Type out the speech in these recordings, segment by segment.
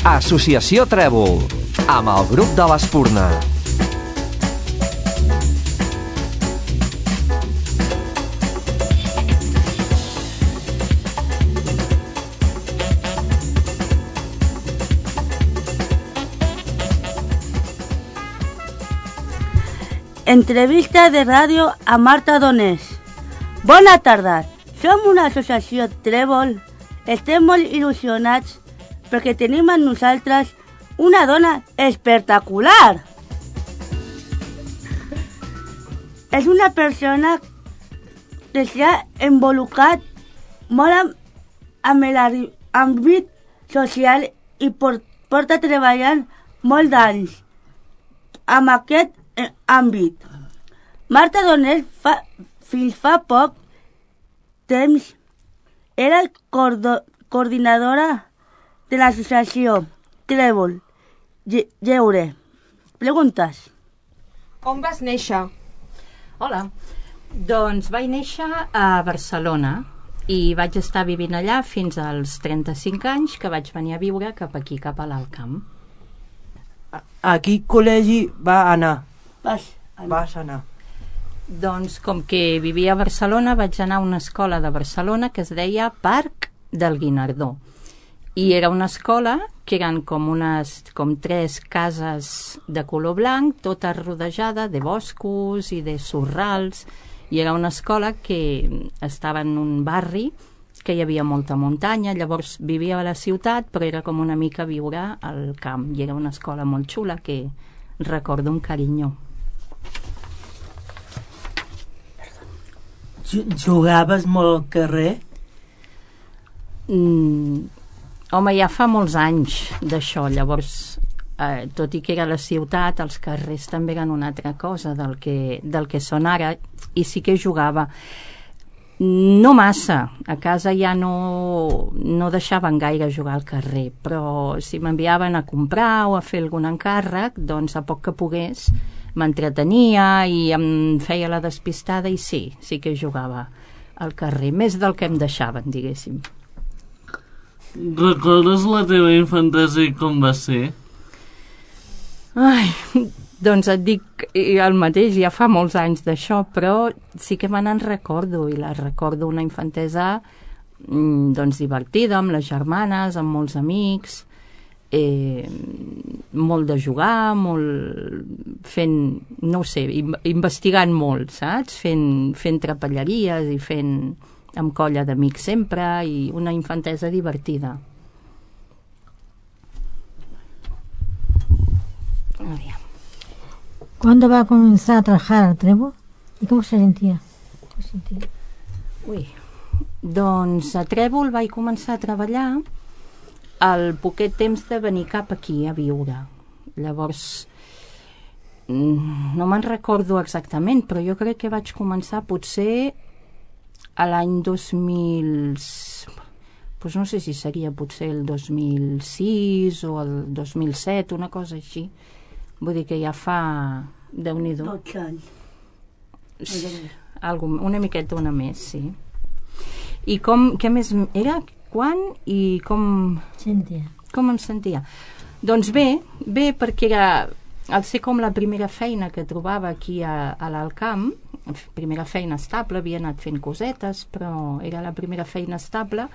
Associació Trèvol, amb el grup de l'Espurna. Entrevista de ràdio a Marta Donés. Bona tarda. Som una associació Trèvol. Estem molt il·lusionats perquè tenim amb nosaltres una dona espectacular. És una persona que s'ha involucrat molt amb l'àmbit social i porta treballant molt d'anys amb aquest àmbit. Marta Donés fins fa poc temps era coordinadora de l'associació Trèvol. Lleure. Preguntes. On vas néixer? Hola. Doncs vaig néixer a Barcelona i vaig estar vivint allà fins als 35 anys que vaig venir a viure cap aquí, cap a l'Alt Camp. A quin col·legi va anar? Vas anar. Doncs com que vivia a Barcelona vaig anar a una escola de Barcelona que es deia Parc del Guinardó i era una escola que eren com 3 cases de color blanc, tota rodejada de boscos i de sorrals, i era una escola que estava en un barri que hi havia molta muntanya. Llavors vivia a la ciutat però era com una mica viure al camp i era una escola molt xula que recordo un carinyo. Jugaves molt al carrer? Home, ja fa molts anys d'això, llavors tot i que era la ciutat, els carrers també eren una altra cosa del que són ara, i sí que jugava. No massa, a casa ja no deixaven gaire jugar al carrer, però si m'enviaven a comprar o a fer algun encàrrec, doncs a poc que pogués m'entretenia i em feia la despistada i sí que jugava al carrer, més del que em deixaven, diguéssim. Recordes la teva infantesa i com va ser? Ai, doncs et dic el mateix, ja fa molts anys d'això, però sí que me n'en recordo, i la recordo una infantesa doncs divertida, amb les germanes, amb molts amics, molt de jugar, molt fent, no ho sé, investigant molt, saps? Fent trapelleries i fent amb colla d'amics sempre, i una infantesa divertida. ¿Cuándo va a comenzar a trabajar al Trèvol? ¿Y cómo se sentía? Doncs a Trèvol vaig començar a treballar al poquet temps de venir cap aquí a viure. Llavors no me'n recordo exactament, però jo crec que vaig començar potser a l'any 2000, doncs no sé si seria potser el 2006 o el 2007, una cosa així. Vull dir que ja fa, Déu-n'hi-do, 12 anys. Una miqueta, una més, sí. I què més era? Quan i com em sentia? Doncs bé, perquè era, al ser com la primera feina que trobava aquí a l'Alt Camp, primera feina estable, havia anat fent cosetes, però era la primera feina estable,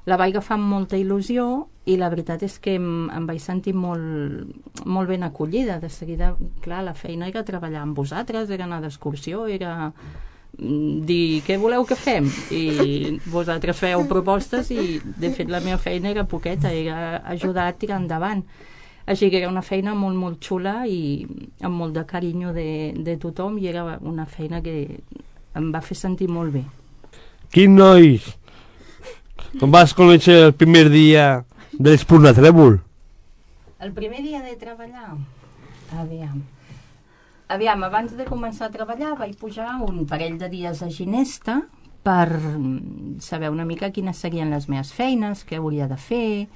la vaig agafar amb molta il·lusió i la veritat és que em vaig sentir molt ben acollida. De seguida, clar, la feina era treballar amb vosaltres, era anar d'excursió, era dir què voleu que fem, i vosaltres feu propostes, i de fet la meva feina era poqueta, era ajudar a tirar endavant, així que era una feina molt molt xula i amb molt de carinyo de tothom, i era una feina que em va fer sentir molt bé. Quin nois, com vas conèixer el primer dia de l'Espurna Trèvol? El primer dia de treballar? Aviam, abans de començar a treballar vaig pujar un parell de dies a Ginesta per saber una mica quines serien les meves feines, què hauria de fer,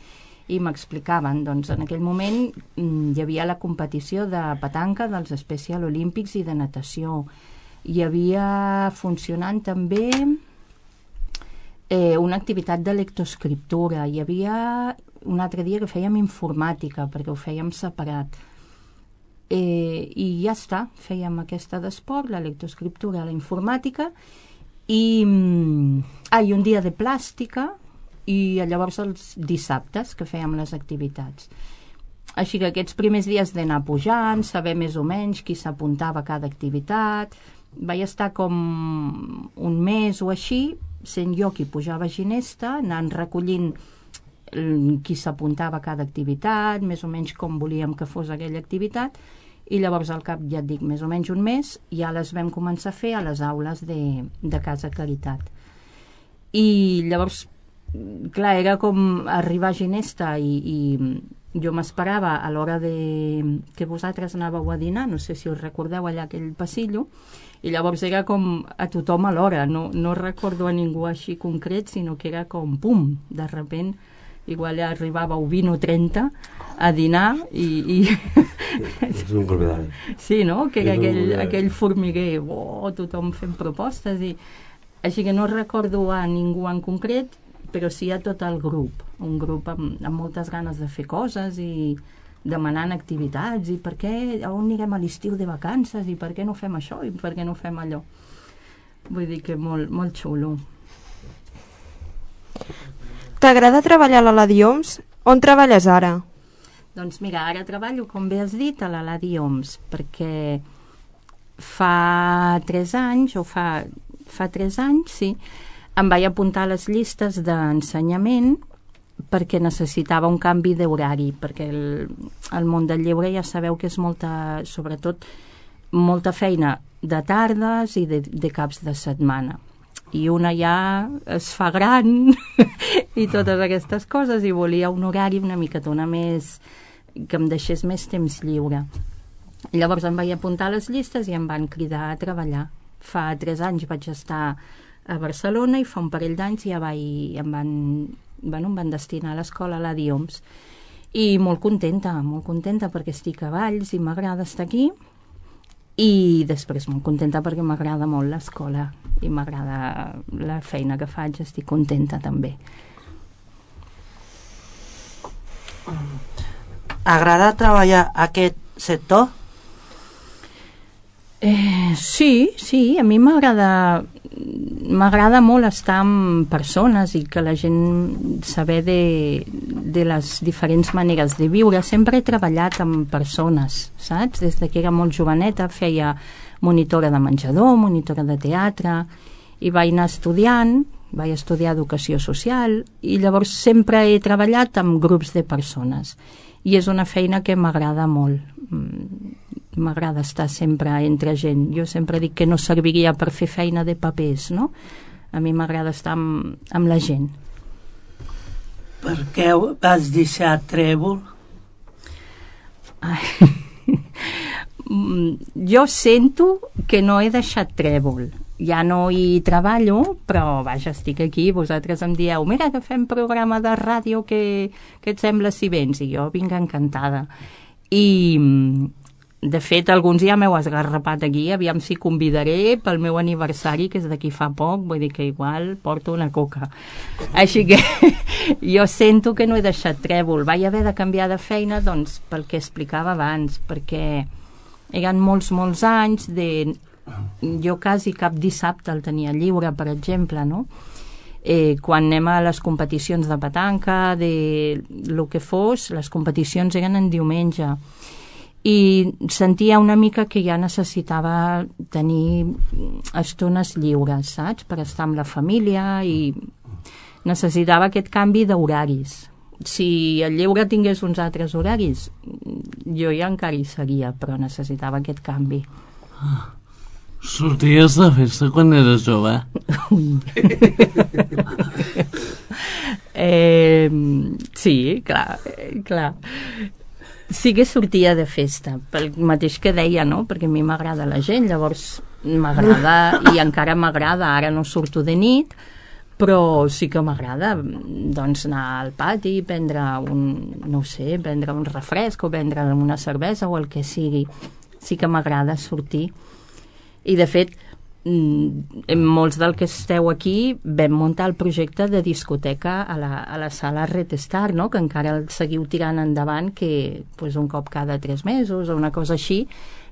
i m'explicaven. Doncs en aquell moment hi havia la competició de petanca dels Special Olímpics i de natació. Hi havia funcionant també una activitat de lectoescriptura. Hi havia un altre dia que fèiem informàtica, perquè ho fèiem separat. I ja està, fèiem aquesta d'esport, la lectoescriptura, la informàtica, i un dia de plàstica, i llavors els dissabtes que fèiem les activitats. Així que aquests primers dies d'anar pujant, saber més o menys qui s'apuntava a cada activitat, vaig estar com un mes o així, sent jo qui pujava a ginesta, anant recollint qui s'apuntava a cada activitat, més o menys com volíem que fos aquella activitat, i llavors al cap, ja et dic, més o menys un mes, ja les vam començar a fer a les aules de Casa Caritat. I llavors, clar, era com arribar a ginesta i jo m'esperava a l'hora que vosaltres anàveu a dinar, no sé si us recordeu allà aquell passillo, i llavors era com a tothom a l'hora, no recordo a ningú així concret, sinó que era com pum, de sobte, igual ja arribàveu 20 o 30 a dinar i... És un colpedari. Sí, no? Que era aquell formiguer, tothom fent propostes, i així que no recordo a ningú en concret, però sí a tot el grup, un grup amb moltes ganes de fer coses i demanant activitats, i per què, on anirem a l'estiu de vacances, i per què no fem això, i per què no fem allò. Vull dir que molt, molt xulo. T'agrada treballar a l'Eladi Homs? On treballes ara? Doncs mira, ara treballo, com bé has dit, a l'Eladi Homs, perquè fa 3 anys, sí, em vaig apuntar a les llistes d'ensenyament perquè necessitava un canvi d'horari, perquè el món del lleure ja sabeu que és sobretot molta feina de tardes i de caps de setmana. I una ja es fa gran i totes aquestes coses, i volia un horari una miquetona més, que em deixés més temps lliure. Llavors em vaig apuntar a les llistes i em van cridar a treballar. Fa 3 anys vaig estar a Barcelona i fa un parell d'anys ja em van destinar a l'escola a l'Eladi Homs. I molt contenta perquè estic a Valls i m'agrada estar aquí, i després molt contenta perquè m'agrada molt l'escola i m'agrada la feina que faig, estic contenta també. Agrada treballar a aquest sector? Sí, a mi m'agrada molt estar amb persones i que la gent saber de les diferents maneres de viure. Sempre he treballat amb persones, saps? Des que era molt joveneta feia monitora de menjador, monitora de teatre, i vaig anar estudiant, vaig estudiar educació social, i llavors sempre he treballat amb grups de persones. I és una feina que m'agrada molt. M'agrada estar sempre entre gent. Jo sempre dic que no serviria per fer feina de papers, no? A mi m'agrada estar amb la gent. Per què vas deixar Trèvol? Jo sento que no he deixat Trèvol. Ja no hi treballo, però vaja, estic aquí, vosaltres em dieu, mira que fem programa de ràdio, que et sembla si vens? I jo vinc encantada. I de fet, alguns ja m'heu esgarrapat aquí, aviam si convidaré pel meu aniversari, que és d'aquí fa poc, vull dir que igual porto una coca. Així que jo sento que no he deixat Trèvol. Vaig haver de canviar de feina, doncs, pel que explicava abans, perquè eren molts anys jo quasi cap dissabte el tenia lliure, per exemple, no? Quan anem a les competicions de petanca, de lo que fos, les competicions eren en diumenge, i sentia una mica que ja necessitava tenir estones lliures, saps? Per estar amb la família, i necessitava aquest canvi d'horaris. Si el lleure tingués uns altres horaris, jo ja encara hi seria, però necessitava aquest canvi. Sorties de festa quan eres jove? Sí, clar. Sí que sortia de festa, pel mateix que deia, no? Perquè a mi m'agrada la gent, llavors m'agrada, i encara m'agrada, ara no surto de nit, però sí que m'agrada, doncs, anar al pati, prendre un refresc o prendre una cervesa o el que sigui. Sí que m'agrada sortir. I de fet, molts del que esteu aquí vam muntar el projecte de discoteca a la sala Red Star, no? Que encara el seguiu tirant endavant, que pues, un cop cada 3 mesos o una cosa així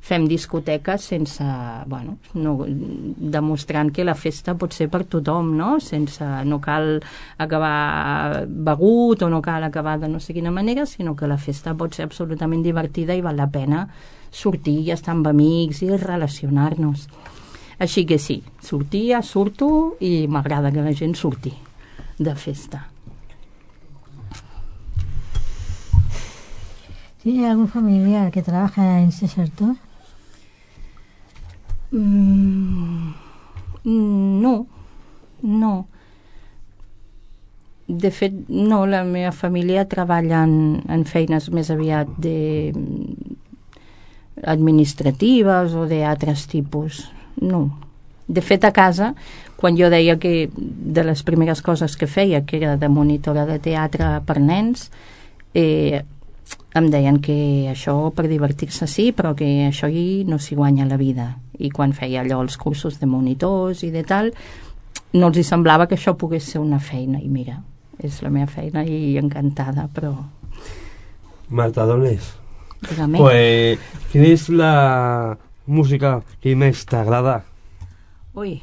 fem discoteques sense, bueno, no, demostrant que la festa pot ser per tothom, no? No cal acabar begut o no cal acabar de no sé quina manera, sinó que la festa pot ser absolutament divertida i val la pena sortir i estar amb amics i relacionar-nos. Així que sí, surto i m'agrada que la gent surti de festa. ¿Tiene algún familiar que trabaja en ese sector? No. De fet, no, la meva família treballa en feines més aviat administratives o d'altres tipus. No. De fet, a casa, quan jo deia que de les primeres coses que feia, que era de monitora de teatre per nens, em deien que això per divertir-se sí, però que això no s'hi guanya la vida. I quan feia allò els cursos de monitors i de tal, no els hi semblava que això pogués ser una feina. I mira, és la meva feina i encantada, però... Marta Donés, Dígame. pues, quina és la música que més t'agrada? Ui,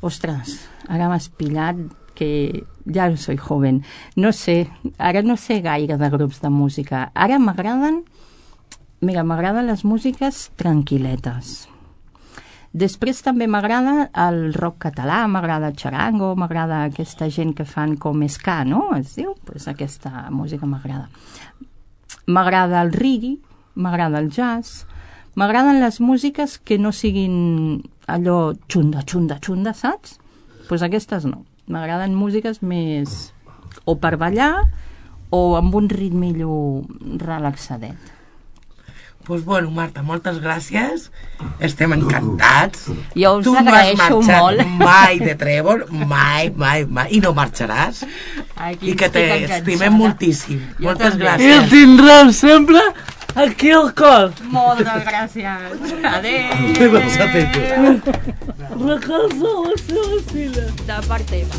ostres, ara m'has pillat que ja no soy joven. No sé, ara no sé gaire de grups de música. Ara m'agraden les músiques tranquil·letes. Després també m'agrada el rock català, m'agrada el charango, m'agrada aquesta gent que fan com ska, no? Es diu? Pues aquesta música m'agrada. M'agrada el reggae, m'agrada el jazz, m'agraden les músiques que no siguin allò xunda, saps? Pues aquestes no. M'agraden músiques més o per ballar o amb un ritmillo relaxadet. Pues bueno, Marta, moltes gràcies. Estem encantats. Jo us agraeixo molt. Tu no has marxat mai de Trèvol, mai. I no marxaràs. I que t'estimem moltíssim. Moltes gràcies. I el tindrem sempre aquí al cor. Moltes gràcies. Adéu. Recolza la seva filla. De part teva.